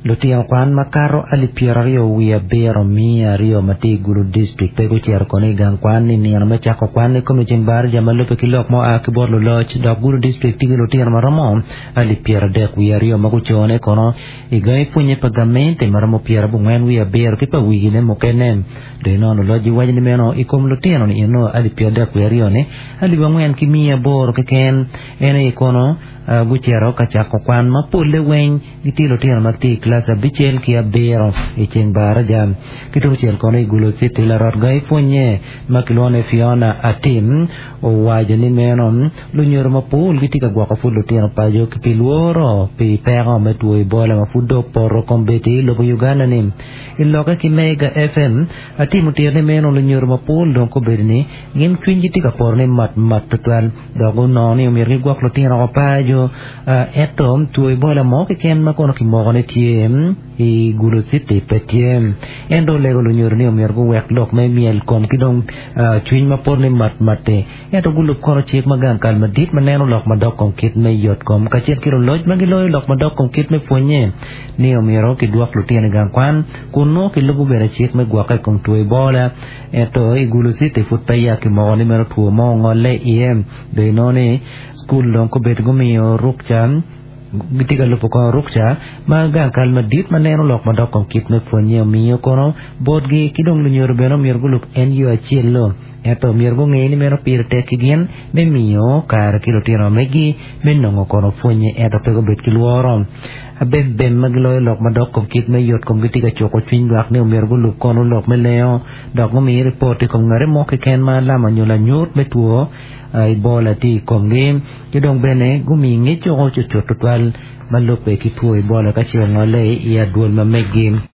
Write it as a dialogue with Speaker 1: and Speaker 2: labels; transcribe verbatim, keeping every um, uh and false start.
Speaker 1: Lutino kwan makato alip pyera aryo wiye abiro mia aryo ma tye i Gulu District pe gucito kono i gang kwan ni nino me cako kwan i kom ceng baraja ma lubbe ki lok ma oa ki bot luloc dok Gulu District tye ki lutino ma romo alip pyera adek wiye aryo ma gucone kono i gangi pwonye pa gamente ma romo pyera abongwen wiye abiro ki pa wigine mukene do inono luloc giwaco ni meno i kom lutino ni eno alip pyera adek wiye aryo ni alip angwen ki mia aboro keken en aye kono uh, gucito ka cako kwan ma polle weng gitye lutino ma tye i kilac abicel ki abiro i ceng baraja ki tungcel kono i Gulu City larot gangi pwonye ma kilwongo ni Fiona Atim owaco ni meno lunyodo mapol gitye ka gwoko pud lutino paco ki pi lworo pi peko me two Ebola ma pud dong opoto kombeddi i lobo Uganda ni i lokke ki Mega FM Atim otito ni meno lunyodo mapol dong kobedo ni gin cwinygi tye ka poto ni mat mat tutwal dok gunongo ni omyero gigwok lutino oko paco ento two Ebola mo keken ma kono kimoko ni tye i Gulu City pe tye en dong olego lunyodo ni omyero guwek lok me myel kom ki dong cwiny ma poto ni mat mat-ti ento gulub kono cik ma gang kal madit ma neno lok madok kom kit me yot kom kacel ki luloc ma giloyo lok madok kom kit me pwonye ni omyero kidwok lutino i gang kwan kun nongo kilubo bene cik me gwokke i kom two Ebola ento i Gulu City pud peya kimoko ni meno two mo ongolle iye do inongo ni skul dong kobedo gumiyo rukca gitye ka lubo kono rukca ma gang kal madit ma neno lok madok kom kit me pwonye omiyo kono botgi ki dong lunyodo bene omyero gulub en yo acel-lo ento myero gunge ni meno pire tek ki gin me miyo kare ki lutino megi me nongo kono pwonye ento pe gubed ki lworo abembem ma giloyo lok madok kom kit me yot kom gitye ka cuko cwiny lwak ni omyero gulub kono lok me lengo dok gumi ripot i kom ngati mo keken ma alama nyo lanyut me two Ebola tye i komgi ki dong bene gumi ngec oko cucut tutwal ma lubbe ki two Ebola ka ce ongolle i adwol ma megi.